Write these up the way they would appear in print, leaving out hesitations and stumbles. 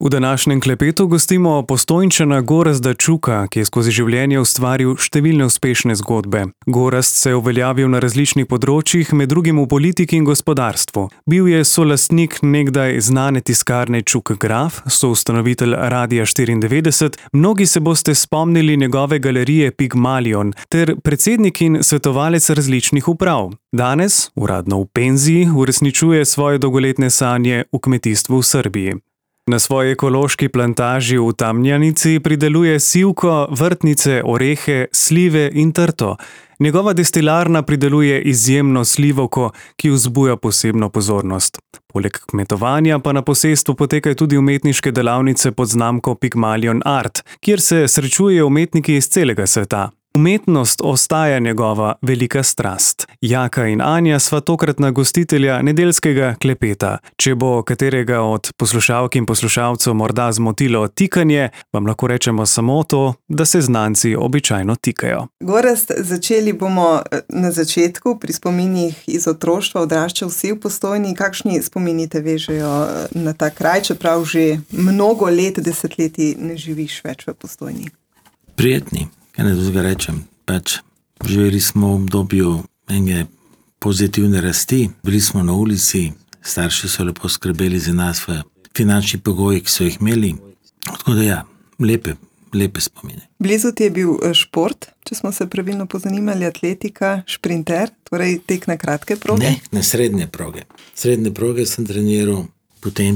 V današnjem klepetu gostimo Postojnčana Gorazda Čuka, ki je skozi življenje ustvaril številne uspešne zgodbe. Gorazd se je uveljavil na različnih področjih, med drugim v politiki in gospodarstvu. Bil je solastnik nekdaj znane tiskarne Čuk Graf, soustanovitelj Radia 94, mnogi se boste spomnili njegove galerije Pigmalion, ter predsednik in svetovalec različnih uprav. Danes, uradno v penziji, uresničuje svoje dolgoletne sanje v kmetijstvu v Srbiji. Na svoji ekološki plantaži v Tamnjanici prideluje sivko, vrtnice, orehe, slive in trto. Njegova destilarna prideluje izjemno slivovko, ki vzbuja posebno pozornost. Poleg kmetovanja pa na posestvu potekajo tudi umetniške delavnice pod znamko Pigmalion Art, kjer se srečujejo umetniki iz celega sveta. Umetnost ostaja njegova velika strast. Jaka in Anja sva tokratna gostitelja nedeljskega klepeta. Če bo katerega od poslušalk in poslušalcev morda zmotilo tikanje, vam lahko rečemo samo to, da se znanci običajno tikajo. Gorazd, začeli bomo na začetku, pri spominih iz otroštva, odraščal si v Postojni. Kakšni spomini te vežejo na ta kraj, čeprav že mnogo let, desetletij ne živiš več v Postojni? Prijetni. Kaj ne drugega rečem, živeli smo v obdobju ene pozitivne rasti, bili smo na ulici, starši so lepo skrbeli za nas v finančni pogoji, ki so jih imeli. Tako da ja, lepe spomine. Blizu ti je bil šport, če smo se pravilno pozanimali, atletika, šprinter, torej tek na kratke proge? Ne, na srednje proge. Srednje proge sem treniral, potem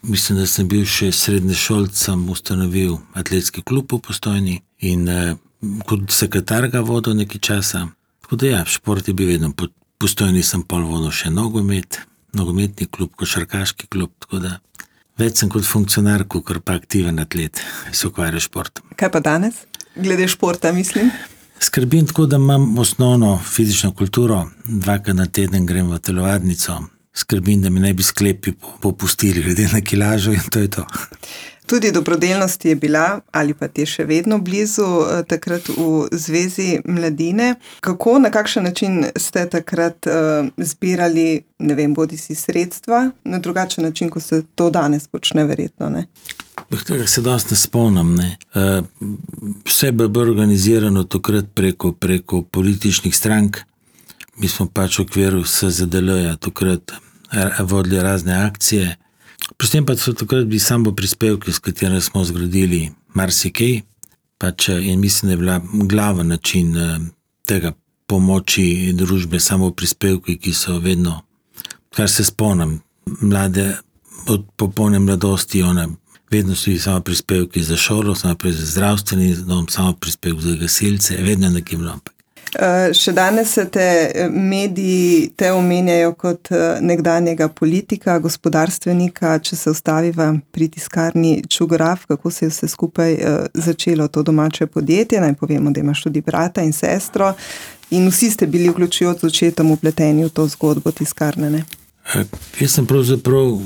mislim, da sem bil še srednješolc, sem ustanovil atletski klub v Postojni in kot sekretar ga vodil nekaj časa. Tako da ja, šport je bil vedno. Po Postojni sem pol vodil še nogometni klub, košarkaški klub, tako da več sem kot funkcionar, kakor pa aktiven atlet, se ukvarja športom. Kaj pa danes? Glede športa, mislim? Skrbim tako, da imam osnovno fizično kulturo, 2krat na teden grem v telovadnico, skrbim, da mi ne bi sklepi popustili glede na kilažo in to je to. Tudi dobrodelnost je bila, ali pa ti je še vedno blizu, takrat v Zvezi mladine. Kako, na kakšen način ste takrat zbirali, ne vem, bodisi sredstva, na drugačen način, kot se to danes počne, verjetno, ne? Tega se dosti ne spomnim, ne. Vse bo organizirano takrat preko političnih strank. Mi smo v okviru SZDL-ja takrat vodili razne akcije. Predvsem pa so takrat bili samo prispevki, s katerimi smo zgradili marsikaj, in mislim, da je bila glaven način tega pomoči družbe samo prispevki, ki so vedno, kar se spomnim, mlade, od popolne mladosti, vedno so bili samo prispevki za šolo, samo za zdravstveni dom, samo prispevki za gasilce, vedno nekaj bilo. Še danes se te mediji te omenjajo kot nekdanjega politika, gospodarstvenika. Če se ustaviva pri tiskarni Čuk Graf, kako se je vse skupaj začelo to domače podjetje, naj povemo, da imaš tudi brata in sestro in vsi ste bili vključujoč z očetom vpleteni v to zgodbo tiskarne, ne? Jaz sem pravzaprav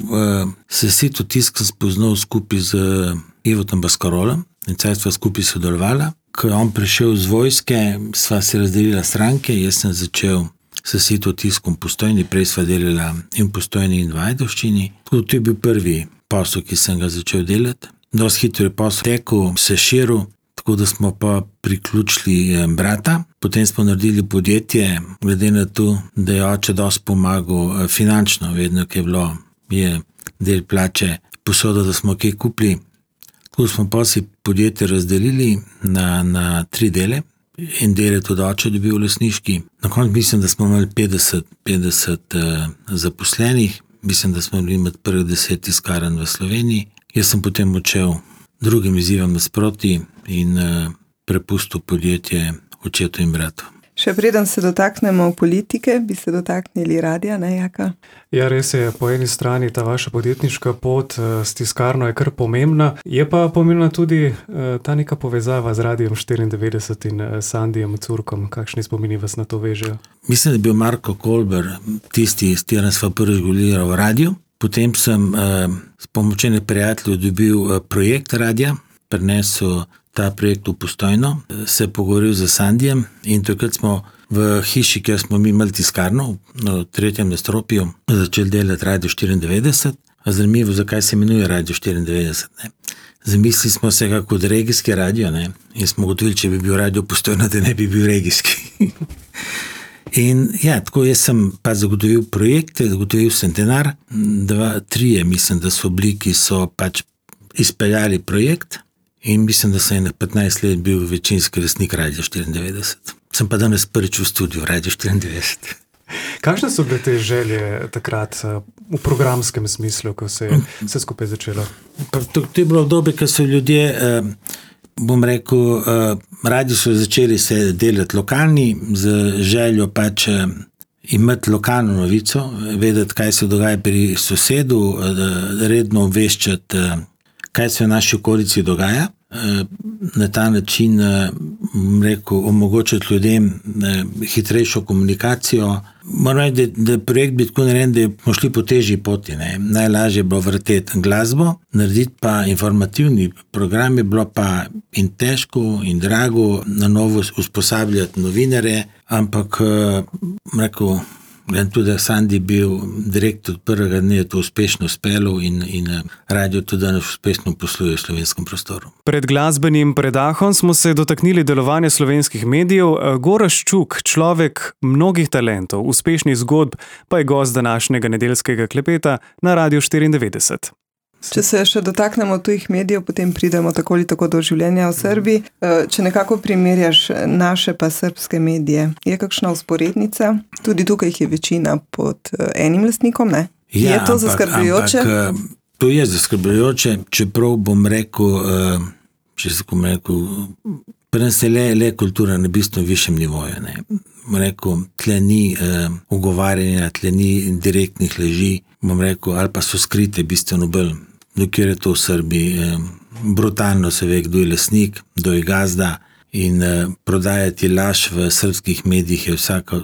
se Sito tisk spoznal skupaj z Ivotom Baskarolom in sva skupaj sodelovala. Ko je on prišel z vojske, sva se razdelila stranke, jaz sem začel s Sito tiskom Postojni, prej sva delala in v Postojni in v Ajdovščini. To je bil prvi posel, ki sem ga začel delati. Dosti hitro je posel tekel, se širil, tako da smo pa priključili brata. Potem smo naredili podjetje, glede na to, da je oče dosti pomagal finančno, vedno, ki je del plače posoda, da smo kaj kupili. Tako smo pa si podjetje razdelili na 3 dele. En del je tudi oče dobil lastniški. Na koncu mislim, da smo imeli 50 zaposlenih. Mislim, da smo bili med prvih 10 tiskarn v Sloveniji. Jaz sem potem odšel drugim izzivom nasproti in prepustil podjetje očetu in bratu. Še preden se dotaknemo politike, bi se dotaknili radia, ne, Jaka? Ja, res je, po eni strani ta vaša podjetniška pot s tiskarno je kar pomembna, je pa pomembna tudi ta neka povezava z Radijem 94 in Sandijem Curkom. Kakšni spomini vas na to vežejo? Mislim, da je bil Marko Kolber tisti, s katerim sva prvič govorili v radiju. Potem sem s pomočjo prijateljev dobil projekt radija, prinesel ta projekt v Postojno, se pogovoril z Sandijem in takrat smo v hiši, kjer smo mi imeli tiskarno, na 3. nadstropju, začeli delati Radio 94 zanimivo, zakaj se imenuje Radio 94. Ne. Zamislili smo se kako od regijski radio, ne, in smo gotovili, če bi bil radio Postojna, da ne bi bil regijski. In ja, tako jaz sem pa zagotovil projekte, zagotovil sem denar, 2-3, mislim, da so bili, ki so pač izpeljali projekt in mislim, da sem 15 let bil večinski lastnik Radio 94. Sem pa danes prvič v studiu Radio 94. Kakšne so bile te želje takrat v programskem smislu, ko se je vse skupaj začelo? To je bilo obdobje, ko so ljudje, bom rekel, radi so začeli se delati lokalni, z željo pač imeti lokalno novico, vedeti, kaj se dogaja pri sosedu, redno obveščati, kaj se v naši okolici dogaja. Na ta način, rekel, omogočiti ljudem hitrejšo komunikacijo. Moram reči, da projekt bi tako narejen, da smo šli po težji poti. Ne. Najlažje je bilo vrteti glasbo, narediti pa informativni program je bilo pa in težko in drago, na novo usposabljati novinare, ampak rekel, tudi da Sandi bil direktor od prvega dne, je to uspešno uspelo in radio tudi danes uspešno posluje v slovenskem prostoru. Pred glasbenim predahom smo se dotaknili delovanja slovenskih medijev. Gorazd Čuk, človek mnogih talentov, uspešnih zgodb, pa je gost današnjega nedeljskega klepeta na Radio 94. Če se še dotaknemo tujih medijev, potem pridemo tako ali tako do življenja v Srbiji. Če nekako primerjaš naše pa srbske medije, je kakšna usporednica? Tudi tukaj jih je večina pod enim lastnikom, ne? Ja, je to zaskrbljujoče? To je zaskrbljujoče, čeprav bom rekel, pri nas je le kultura na bistveno višjem nivoju. Ne. Bom rekel, tle ni ugovarjanja, tle ni direktnih laži, bom rekel, ali pa so skrite bistveno bolj. Dokjer je to v Srbiji, brutalno se ve, kdo je lastnik, kdo je gazda in prodajati laž v srbskih medijih je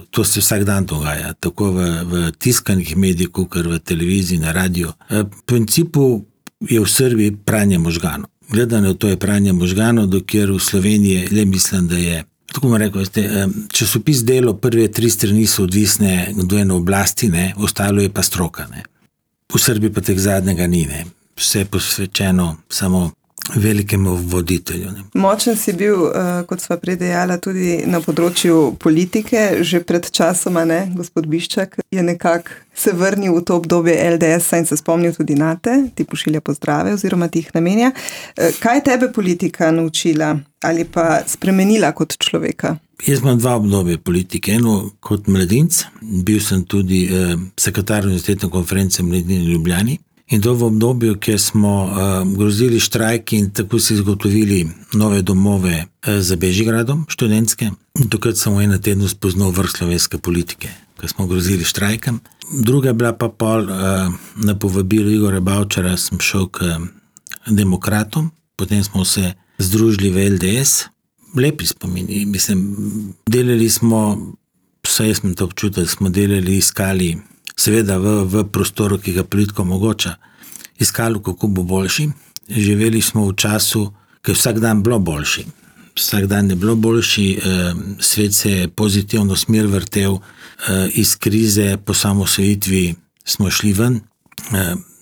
to se vsak dan dogaja, tako v tiskanih medijih, kot v televiziji, na radio. V principu je v Srbiji pranje možganov. Gledano to je pranje možganov, dokjer v Sloveniji le mislim, da je, tako bom rekel, časopis Delo, prve 3 strani so odvisne, kdo je na oblasti, ne, ostalo je pa stroka. Ne. V Srbiji pa teh zadnjega ni, ne. Vse je posvečeno samo velikemu voditelju. Ne. Močen si bil, kot sva predejala, tudi na področju politike, že pred časoma, ne, gospod Biščak je nekako se vrnil v to obdobje LDS-a in se spomnil tudi nate, ti pošilja pozdrave oziroma ti jih namenja. Kaj je tebe politika naučila ali pa spremenila kot človeka? Jaz imam 2 obdobje politike. Eno kot mladinec, bil sem tudi sekretar univerzitetne konference Mladine v Ljubljani. In to v obdobju, kjer smo grozili štrajki in tako si izgotovili nove domove za Bežigradom, študentske. Takrat sem v enem tednu spoznal vrh slovenske politike, ko smo grozili štrajkam. Druga je bila pa pol na povabilo Igorja Bavčara, sem šel k demokratom, potem smo se združili v LDS. Lepi spomini, mislim, delali smo, vsaj jaz sem to občutil, smo delali, iskali, seveda v prostoru, ki ga politika omogoča, iskali, kako bo boljši. Živeli smo v času, ki je vsak dan bilo boljši. Vsak dan je bilo boljši, svet se je pozitivno smer vrtel, iz krize po samosvojitvi smo šli ven.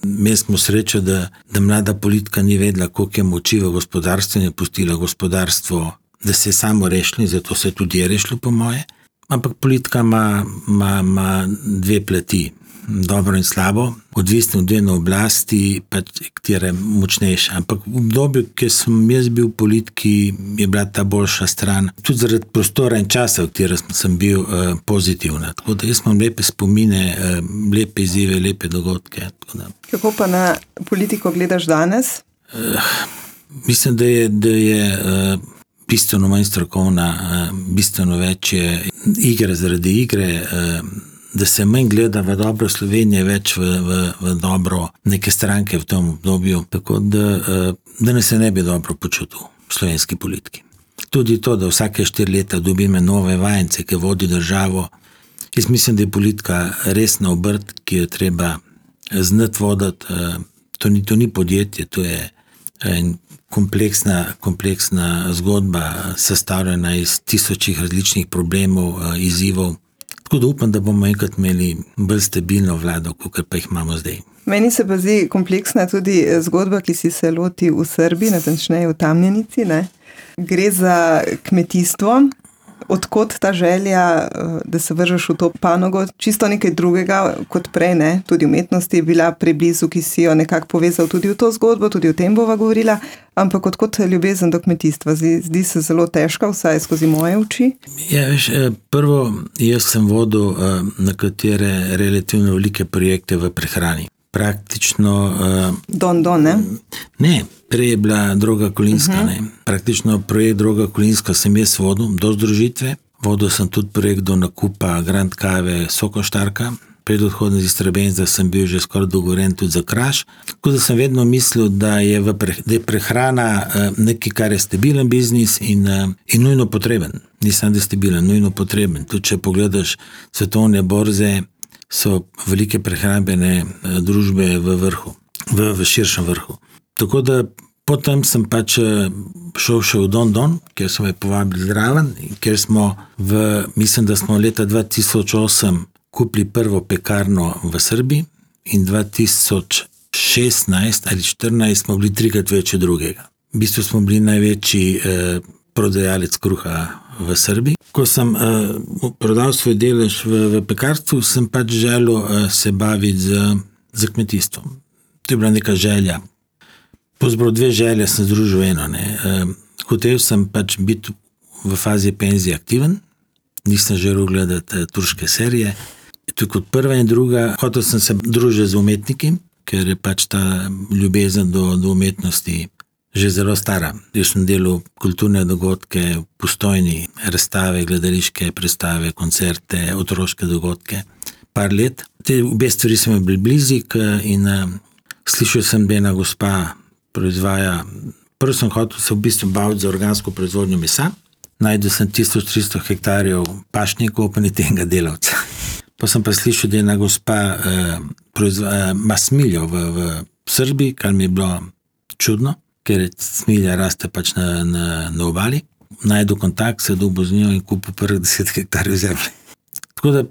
Imeli smo srečo, da mlada politika ni vedela, koliko je moči v gospodarstvu in je pustila gospodarstvo, da se je samo rešilo, zato se tudi je rešilo po moje. Ampak politika ima 2 plati, dobro in slabo, odvisno od ene oblasti, pa katera je močnejša. Ampak v obdobju, ki sem jaz bil v politiki, je bila ta boljša stran, tudi zaradi prostora in časa, v katerem sem bil pozitivna. Tako da jaz imam lepe spomine, lepe izzive, lepe dogodke. Kako pa na politiko gledaš danes? Mislim, da je bistveno manj strokovna, bistveno več je igre zaradi igre, da se manj gleda v dobro Slovenije, več v dobro neke stranke v tem obdobju, tako da ne se ne bi dobro počutil v slovenski politiki. Tudi to, da vsake 4 leta dobime nove vajence, ki vodi državo. Jaz mislim, da je politika resna obrt, ki jo treba znati voditi. To ni podjetje, to je kompleksna zgodba, sestavljena iz tisočih različnih problemov, izzivov. Tako da upam, da bomo enkrat imeli bolj stabilno vlado, kot pa jih imamo zdaj. Meni se pa zdi kompleksna tudi zgodba, ki si se loti v Srbiji, natančneje v Tamjanici, ne? Gre za kmetijstvo. Odkot ta želja, da se vržeš v to panogo, čisto nekaj drugega kot prej, ne? Tudi umetnosti je bila preblizu, ki si jo nekako povezal tudi v to zgodbo, tudi o tem bova govorila, ampak odkot ljubezen do kmetijstva? Zdi se zelo težka, vsaj skozi moje oči. Ja, veš, prvo, jaz sem vodil nekatere relativno velike projekte v prehrani. Praktično... Don, ne? Ne, prej je bila Droga Kolinska. Praktično projekt Droga Kolinska sem jaz vodil do združitve. Vodil sem tudi projekt do nakupa Grand Kave Sokoštarka. Pred odhodom iz Istrabenza sem bil že skoraj dogovoren tudi za Kraš. Tako da sem vedno mislil, da je prehrana nekaj, kar je stabilen biznis in nujno potreben. Nisem, da je stabilen, nujno potreben. Tudi če pogledaš svetovne borze, so velike prehrambene družbe v vrhu, v širšem vrhu. Tako da potem sem pač šel še v Don, kjer so me povabili zraven, kjer smo mislim, da smo leta 2008 kupili prvo pekarno v Srbiji in 2016 ali 2014 smo bili 3krat več od drugega. V bistvu smo bili največji prodajalec kruha v Srbiji. Ko sem prodal svoj delež v pekarstvu, sem pač želel se baviti z kmetijstvom. To je bila neka želja. Pozbral 2 želje, sem združil eno. Hotel sem pač biti v fazi penzije aktiven, nisem želel gledati turške serije. To je kot prva in druga. Hotel sem se družiti z umetniki, ker je pač ta ljubezen do umetnosti že zelo stara. Jaz sem delal kulturne dogodke v Postojni, razstave, gledališke predstave, koncerte, otroške dogodke. Par let. Te obe stvari so mi bili blizik in slišal sem, da ena gospa proizvaja. Prvo sem hotel se v bistvu baviti za organsko proizvodnjo mesa. Najdel sem 1300 hektarjev pašnikov, pa niti enega delavca. Pa sem pa slišal, da ena gospa ima smiljo v Srbiji, kar mi je bilo čudno, ker smilja raste pač na obali. Najdel kontakt, se dobil z njo in kupil prvih 10 hektarjev zemlje. Tako da,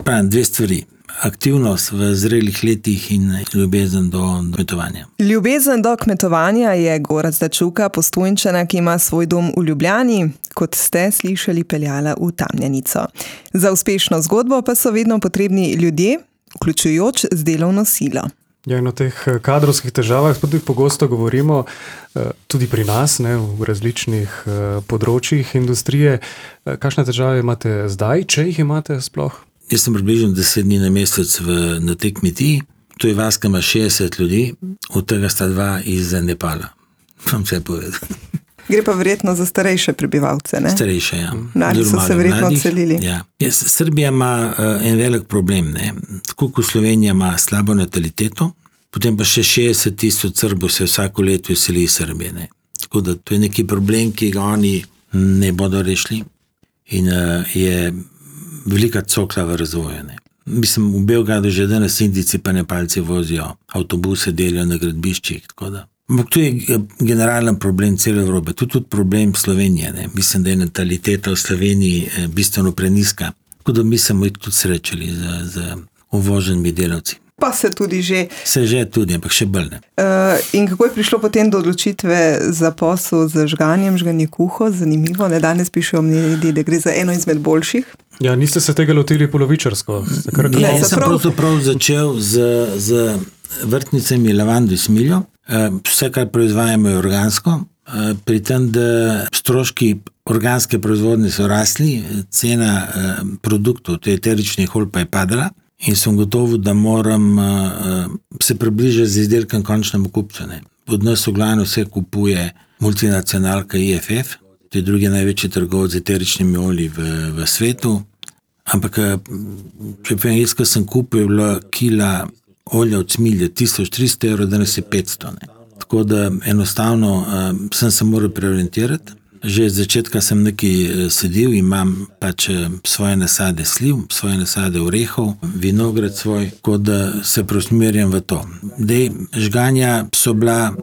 pravim, 2 stvari. Aktivnost v zrelih letih in ljubezen do kmetovanja. Ljubezen do kmetovanja je Gorazda Čuka, Postojnčana, ki ima svoj dom v Ljubljani, kot ste slišali, peljala v Tamjanico. Za uspešno zgodbo pa so vedno potrebni ljudje, vključujoč z delovno silo. Ja, in o teh kadrovskih težavah tudi pogosto govorimo, tudi pri nas, ne, v različnih področjih industrije. Kakšne težave imate zdaj, če jih imate sploh? Jaz sem približno 10 dni na mesec na tej kmetiji. To je vas, ki ima 60 ljudi, od tega sta 2 iz Nepala. Vam vse povedal. Gre pa verjetno za starejše prebivalce, ne? Starejše, ja. Mladi so se verjetno odselili. Ja. Srbija ima en velik problem, ne. Tako kot Slovenija ima slabo nataliteto, potem pa še 60 000 Srbov se vsako leto izseli iz Srbije, ne. Tako da to je neki problem, ki ga oni ne bodo rešili in je velika cokla v razvoju, ne. Mislim, v Beogradu že danes Indijci pa Nepalci vozijo avtobuse, delijo na gradbiščih, tako da. Ampak to je generalen problem cele Evrope, tudi problem Slovenije, ne. Mislim, da je nataliteta v Sloveniji bistveno preniska, tako da mi smo jih tudi srečali z uvoženimi delavci. Pa se tudi že. Se že tudi, ampak še bolj ne. In kako je prišlo potem do odločitve za posel z žganje kuho? Zanimivo, ne, danes pišejo mediji, da gre za eno izmed boljših. Ja, niste se tega lotili polovičarsko? Ja, jaz sem pravzaprav začel z vrtnicami lavando in smiljo. Vse, kar proizvajamo, je organsko. Pri tem, da stroški organske proizvodnje so rasli, cena produktov, to je eteričnih olj, pa je padala. In sem gotovo, da moram se približati z izdelkom končnemu kupcu. Od nas v glavnem vse kupuje multinacionalka IFF, to je drugi največji trgovec z eteričnimi olji v svetu. Ampak, če povem, jaz, ko sem kupil, je bila kila olja od smilje 1300 €, danes je 500. Ne. Tako da enostavno sem se moral preorientirati. Že od začetka sem nekaj sedil, imam pač svoje nasade sliv, svoje nasade orehov, vinograd svoj, kot da se preusmerjam v to. Žganja so bila,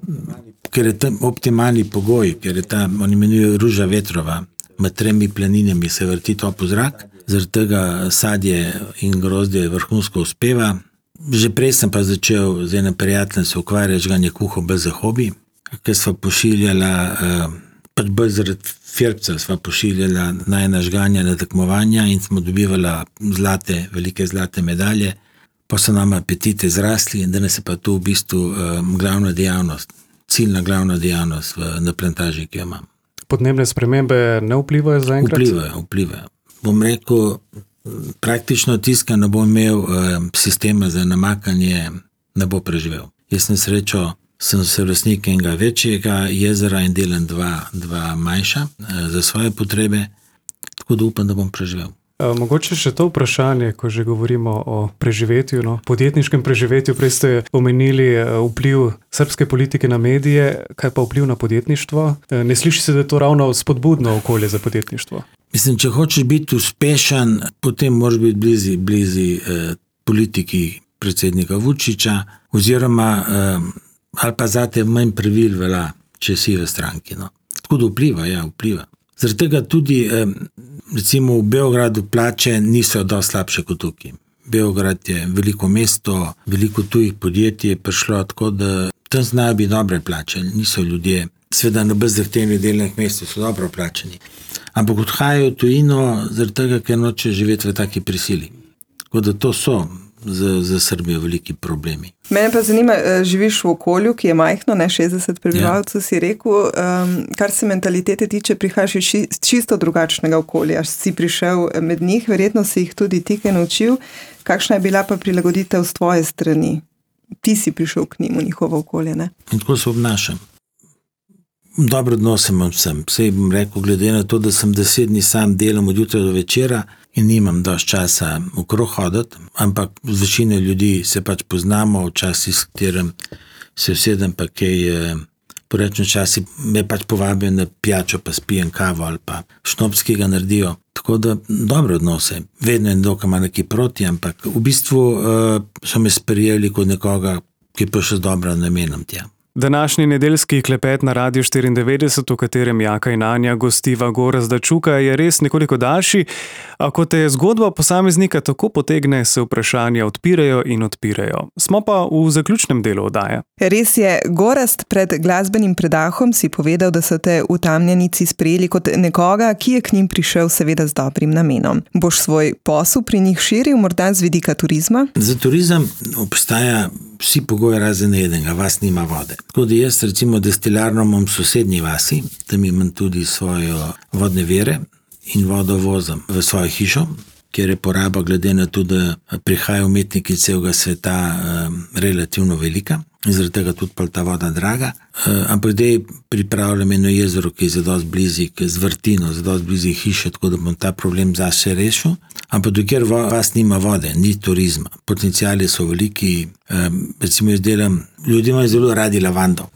ker je tam optimalni pogoj, ker je ta, oni imenujejo ruža vetrova, med 3 planinami se vrti topel zrak, zaradi tega sadje in grozdje vrhunsko uspeva. Že prej sem pa začel z enim prijateljem se ukvarjati žganje kuhov bolj za hobi, ker sva pošiljala, pač bolj zaradi firca sva pošiljala najna žganja na tekmovanja in smo dobivala velike zlate medalje, pa so nam apetite zrasli in danes je pa to v bistvu glavna dejavnost, ciljna glavna dejavnost na plantaži, ki jo imam. Podnebne spremembe ne vplivajo zaenkrat? Vplivajo. Bom rekel, praktično tiska ne bo imel sistema za namakanje, ne bo preživel. Jaz na srečo sem lastnik enega večjega jezera in delam dva manjša za svoje potrebe, tako da upam, da bom preživel. Mogoče še to vprašanje, ko že govorimo o preživetju, podjetniškem preživetju, prej ste omenili vpliv srbske politike na medije, kaj pa vpliv na podjetništvo? Ne sliši se, da je to ravno spodbudno okolje za podjetništvo? Mislim, če hočeš biti uspešen, potem moraš biti blizu politiki predsednika Vučića, oziroma ali pa zate manj pravil velja, če si v stranki. Tako da vpliva. Zaradi tega tudi, recimo v Beogradu plače niso dosti slabše kot tukaj. Beograd je veliko mesto, veliko tujih podjetij je prišlo, tako da tam znajo biti dobre plače, niso ljudje. Seveda na bolj zahtevnih delovnih mestih so dobro plačeni. Ampak odhajajo v tujino zaradi tega, ker noče živeti v taki prisili. Tako da to so za Srbijo veliki problemi. Mene pa zanima, živiš v okolju, ki je majhno, ne 60 prebivalcev, si rekel, kar se mentalitete tiče, prihajaš iz čisto drugačnega okolja. Si prišel med njih, verjetno si jih tudi ti kaj naučil. Kakšna je bila pa prilagoditev z tvoje strani? Ti si prišel k njim v njihovo okolje, ne? In tako se obnašam. Dobro odnos imam vsem. Sej bom rekel, glede na to, da sem 10 dni sam delam od jutra do večera in nimam dosti časa okrog hoditi, ampak z večino ljudi se pač poznamo, včasih s katerim se usedem pa kaj, porečem včasih me pač povabijo na pijačo, pa spijem kavo ali pa šnops, ki ga naredijo. Tako da dobre odnose. Vedno je dokaj ima nekaj proti, ampak v bistvu so me sprejeli kot nekoga, ki pa še z dobro namenom tja. Današnji nedeljski klepet na Radiu 94, v katerem Jaka in Anja gostiva Gorazda Čuka, je res nekoliko daljši, a ko te zgodba posameznika tako potegne, se vprašanja odpirajo. Smo pa v zaključnem delu oddaje. Res je, Gorazd, pred glasbenim predahom si povedal, da so te v Tamjanici sprejeli kot nekoga, ki je k njim prišel seveda z dobrim namenom. Boš svoj posel pri njih širil, morda z vidika turizma? Za turizem obstaja vsi pogoji razen enega, vas nima vode. Tako da jaz recimo destilarno imam v sosednji vasi, tam imam tudi svoje vodne vire in vodo vozim v svojo hišo, kjer je poraba glede na to, da prihajajo umetniki celega sveta relativno velika in zaradi tega tudi pa ta voda draga. Ampak zdaj pripravljam eno jezero, ki je zadosti blizu, z vrtino, zadosti blizu hiše, tako da bom ta problem zase rešil. Ampak dokler vas nima vode, ni turizma. Potencijali so veliki, recimo jaz delam, ljudje imajo zelo radi lavando,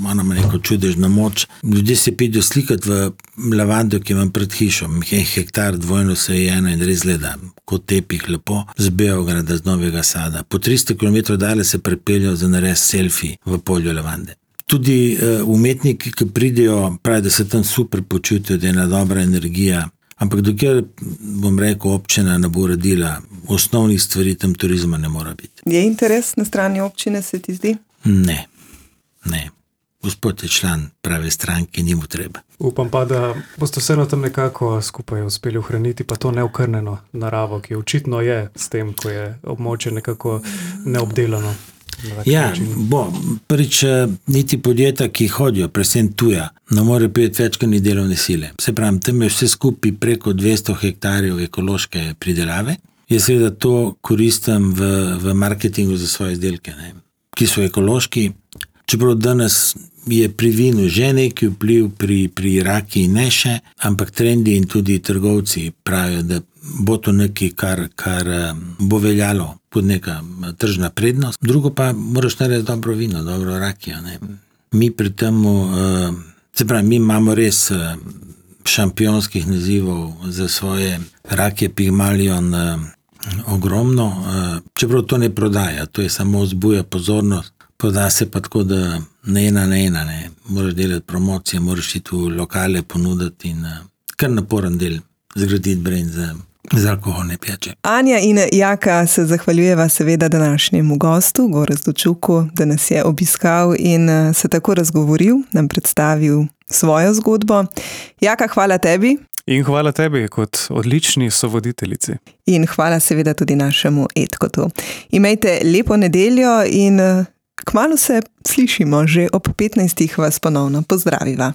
ona ima neko čudežno moč. Ljudje se pidijo slikati v lavando, ki imam pred hišo, 1 hektar dvojno sajena in res gleda, kot tepih lepo, z Beograda, z Novega Sada. Po 300 km dalje se prepeljajo za nares selfie v polju lavande. Tudi umetniki, ki pridejo, pravi, da se tam super počutijo, da je ena dobra energija. Ampak dokler, bom rekel, občina ne bo uredila osnovnih stvari, tam turizma ne mora biti. Je interes na strani občine, se ti zdi? Ne. Gospod je član prave stranke, ni mu treba. Upam pa, da boste vseeno tam nekako skupaj uspeli ohraniti pa to neokrnjeno naravo, ki očitno je s tem, ko je območje nekako neobdelano. Ja, prvič niti podjetja, ki hodijo, predvsem tuja, ne more prijeti več kot ni delovne sile. Se pravi, tam je vse skupaj preko 200 hektarjev ekološke pridelave. Jaz seveda to koristim v marketingu za svoje izdelke, ki so ekološki. Čeprav danes je pri vinu že neki vpliv, pri raki ne še, ampak trendi in tudi trgovci pravijo, da bo to nekaj, kar bo veljalo kot neka tržna prednost. Drugo pa moraš narediti dobro vino, dobro rakijo. Mi pri temu, se pravi, mi imamo res šampionskih nazivov za svoje rakije Pygmalion ogromno, čeprav to ne prodaja, to je samo vzbuja pozornost. Proda se pa tako, da ne ena, moraš delati promocije, moraš iti v lokale ponuditi in kar naporen del zgraditi brand za z alkoholne pijače. Anja in Jaka se zahvaljujeva seveda današnjemu gostu, Gorazdu Čuku, da nas je obiskal in se tako razgovoril, nam predstavil svojo zgodbo. Jaka, hvala tebi. In hvala tebi kot odlični sovoditeljici. In hvala seveda tudi našemu Edkotu. Imejte lepo nedeljo in kmalu se slišimo, že ob 15. vas ponovno pozdraviva.